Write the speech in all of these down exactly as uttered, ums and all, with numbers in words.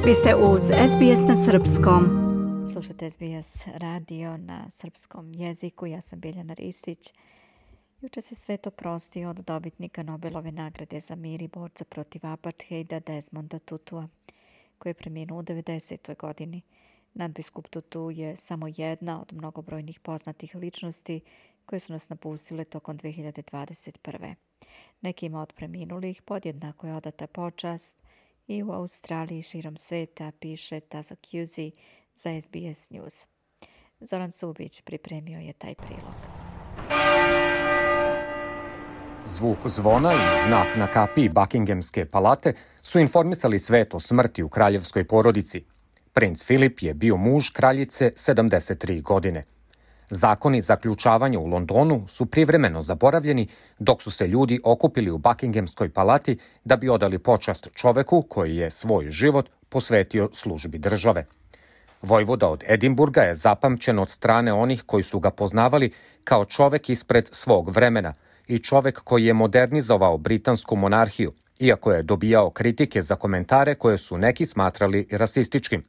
Vi ste uz S B S na srpskom. Slušate S B S radio na srpskom jeziku. Ja sam Biljana Ristić. Juče se svet oprostio od dobitnika Nobelove nagrade za mir i borca protiv apartheida Desmonda Tutua, koji je preminuo u devedesetoj godini. Nadbiskup Tutu je samo jedna od mnogobrojnih poznatih ličnosti koje su nas napustile tokom dve hiljade dvadeset prve. Nekima od preminulih podjednako je odata počast i u Australiji širom sveta, piše Tazo Cusi za S B S News. Zoran Subić pripremio je taj prilog. Zvuk zvona i znak na kapiji Buckinghamske palate su informisali svet o smrti u kraljevskoj porodici. Princ Filip je bio muž kraljice sedamdeset tri godine. Zakoni zaključavanja u Londonu su privremeno zaboravljeni dok su se ljudi okupili u Buckinghamskoj palati da bi odali počast čoveku koji je svoj život posvetio službi države. Vojvoda od Edinburga je zapamćen od strane onih koji su ga poznavali kao čovek ispred svog vremena i čovek koji je modernizovao britansku monarhiju, iako je dobijao kritike za komentare koje su neki smatrali rasističkim.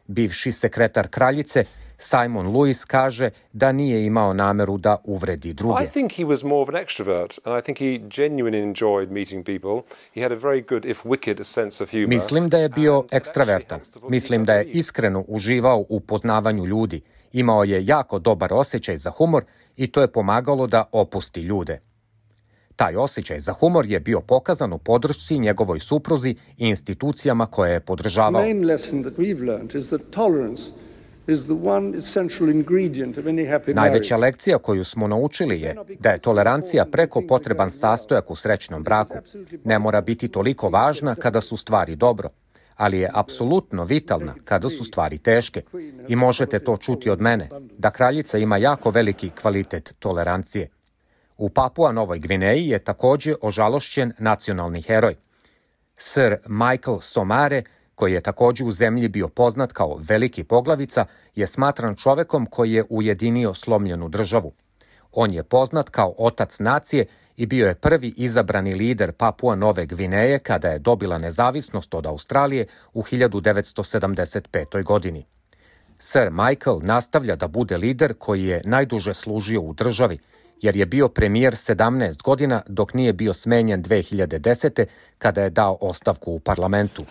Bivši sekretar kraljice Simon Lewis kaže da nije imao nameru da uvredi druge. I think he was more of an extrovert and I think he genuinely enjoyed meeting people. He had a very good, if wicked, sense of humor. Mislim da je bio ekstravertan. Mislim da je iskreno uživao u poznavanju ljudi. Imao je jako dobar osjećaj za humor i to je pomagalo da opusti ljude. Taj osjećaj za humor je bio pokazan u podršci njegovoj supruzi i institucijama koje je podržavao. Najveća lekcija koju smo naučili je da je tolerancija preko potreban sastojak u srećnom braku. Ne mora biti toliko važna kada su stvari dobro, ali je apsolutno vitalna kada su stvari teške. I možete to čuti od mene, da kraljica ima jako veliki kvalitet tolerancije. U Papua Novoj Gvineji je također ožalošćen nacionalni heroj. Sir Michael Somare, koji je također u zemlji bio poznat kao veliki poglavica, je smatran čovekom koji je ujedinio slomljenu državu. On je poznat kao otac nacije i bio je prvi izabrani lider Papua Nove Gvineje kada je dobila nezavisnost od Australije u hiljadu devetsto sedamdeset petoj godini. Sir Michael nastavlja da bude lider koji je najduže služio u državi, jer je bio premijer sedamnaest godina dok nije bio smenjen dve hiljade desete kada je dao ostavku u parlamentu.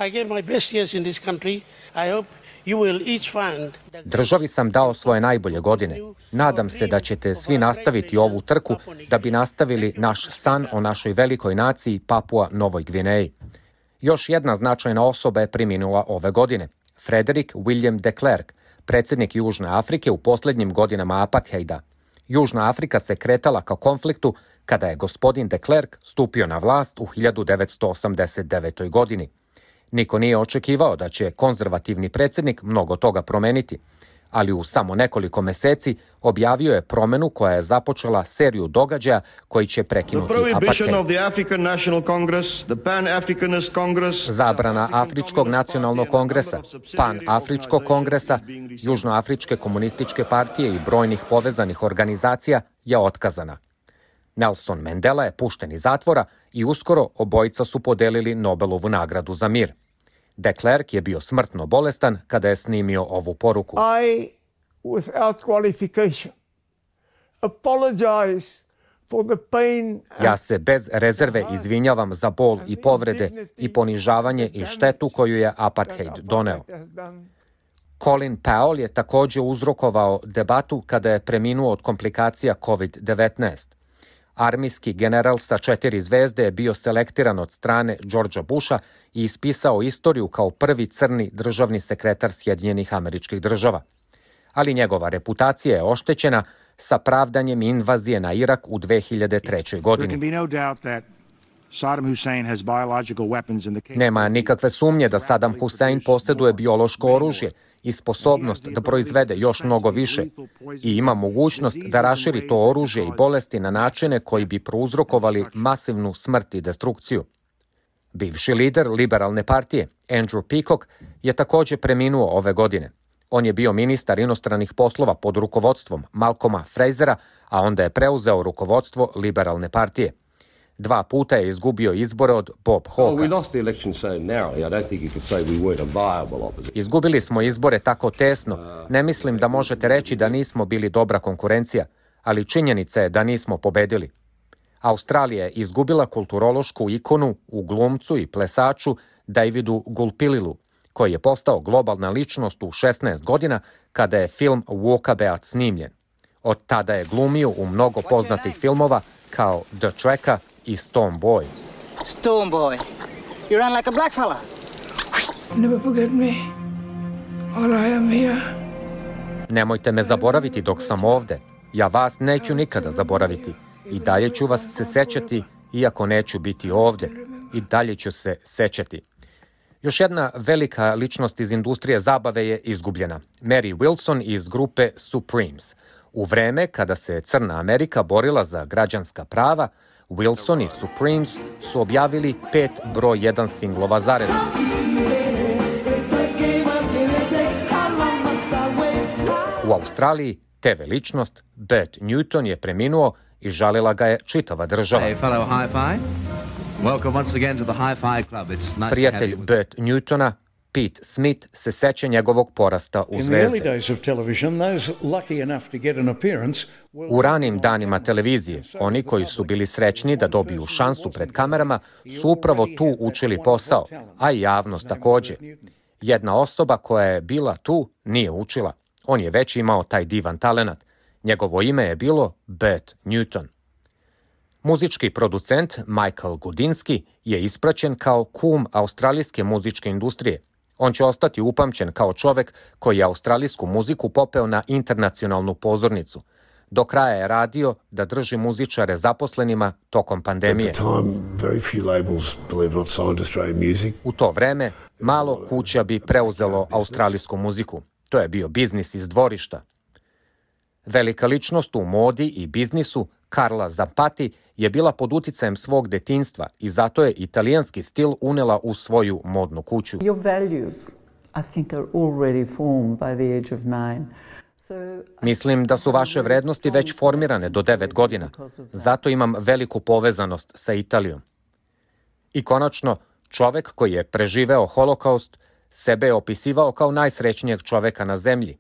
Državi sam dao svoje najbolje godine. Nadam se da ćete svi nastaviti ovu trku da bi nastavili naš san o našoj velikoj naciji Papua Novoj Gvineji. Još jedna značajna osoba je preminula ove godine. Frederick William de Klerk, predsjednik Južne Afrike u posljednjim godinama apartheida. Južna Afrika se kretala ka konfliktu kada je gospodin de Klerk stupio na vlast u hiljadu devetsto osamdeset devetoj godini. Niko nije očekivao da će konzervativni predsjednik mnogo toga promeniti, ali u samo nekoliko meseci objavio je promenu koja je započela seriju događaja koji će prekinuti apartheid. Zabrana Afričkog nacionalnog kongresa, Pan-Afričkog kongresa, Južnoafričke komunističke partije i brojnih povezanih organizacija je otkazana. Nelson Mandela je pušten iz zatvora i uskoro obojica su podelili Nobelovu nagradu za mir. De Klerk je bio smrtno bolestan kada je snimio ovu poruku. I, without qualification, apologize for the pain. Ja se bez rezerve izvinjavam za bol i povrede i ponižavanje i štetu koju je apartheid doneo. Colin Powell je također uzrokovao debatu kada je preminuo od komplikacija kovid devetnaest. Armijski general sa četiri zvezde je bio selektiran od strane Georgea Busha i ispisao istoriju kao prvi crni državni sekretar Sjedinjenih Američkih Država. Ali njegova reputacija je oštećena sa pravdanjem invazije na Irak u dve hiljade trećoj godini. Nema nikakve sumnje da Saddam Hussein posjeduje biološko oružje i sposobnost da proizvede još mnogo više i ima mogućnost da raširi to oružje i bolesti na načine koji bi prouzrokovali masivnu smrt i destrukciju. Bivši lider liberalne partije, Andrew Peacock, je također preminuo ove godine. On je bio ministar inostranih poslova pod rukovodstvom Malcolma Frasera, a onda je preuzeo rukovodstvo liberalne partije. Dva puta je izgubio izbore od Bob Hawka. Izgubili smo izbore tako tesno. Ne mislim da možete reći da nismo bili dobra konkurencija, ali činjenica je da nismo pobedili. Australija je izgubila kulturološku ikonu u glumcu i plesaču Davidu Gulpililu, koji je postao globalna ličnost u šesnaest godina kada je film Walkabout snimljen. Od tada je glumio u mnogo poznatih filmova kao The Tracker i Stone Boy. Stone Boy, you run like a black fella. Never forget me, or I am here. Nemojte me zaboraviti dok sam ovde. Ja vas neću nikada zaboraviti. I dalje ću vas se sećati, iako neću biti ovde. I dalje ću se sećati. Još jedna velika ličnost iz industrije zabave je izgubljena. Mary Wilson iz grupe Supremes. U vreme kada se Crna Amerika borila za građanska prava, Wilson i Supremes su objavili pet broj jedan singlova zaredom. U Australiji te ve ličnost Bert Newton je preminuo i žalila ga je čitava država. Hey, fellow hi-fi. Welcome once again to the Hi-Fi Club. It's nice Prijatelj Bert Newtona, Pete Smith, se seća njegovog porasta u zvezde. U ranim danima televizije, oni koji su bili srećni da dobiju šansu pred kamerama su upravo tu učili posao, a i javnost takođe. Jedna osoba koja je bila tu nije učila. On je već imao taj divan talenat. Njegovo ime je bilo Bert Newton. Muzički producent Michael Gudinski je ispraćen kao kum australijske muzičke industrije. On će ostati upamćen kao čovek koji je australijsku muziku popeo na internacionalnu pozornicu. Do kraja je radio da drži muzičare zaposlenima tokom pandemije. U to vreme malo kuća bi preuzelo australijsku muziku. To je bio biznis iz dvorišta. Velika ličnost u modi i biznisu, Carla Zampati, je bila pod uticajem svog detinjstva i zato je italijanski stil unela u svoju modnu kuću. Your values, I think, are already formed by the age of nine. Mislim da su vaše vrednosti već formirane do devet godina. Zato imam veliku povezanost sa Italijom. I konačno, čovek koji je preživeo holokaust sebe je opisivao kao najsrećnijeg čoveka na zemlji,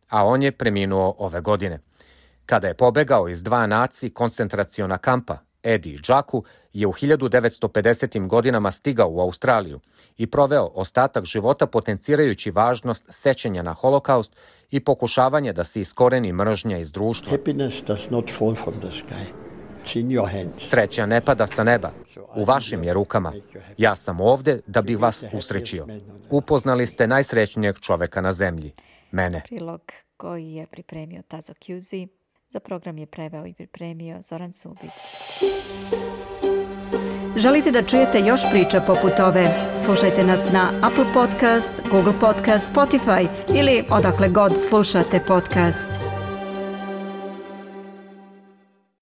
a on je preminuo ove godine. Kada je pobegao iz dva naci koncentraciona kampa, Edi i Džaku je u hiljadu devetsto pedesetim godinama stigao u Australiju i proveo ostatak života potencirajući važnost sećanja na holokaust i pokušavanje da se iskoreni mržnja iz društva. Sreća ne pada sa neba, u vašim je rukama. Ja sam ovde da bih vas usrećio. Upoznali ste najsrećnijeg čoveka na zemlji, mene. Prilog koji je pripremio Tazo Kjuzi. Za program je preveo i pripremio Zoran Subić. Želite da čujete još priča poput ove? Slušajte nas na Apple Podcast, Google Podcast, Spotify ili odakle god slušate podcast.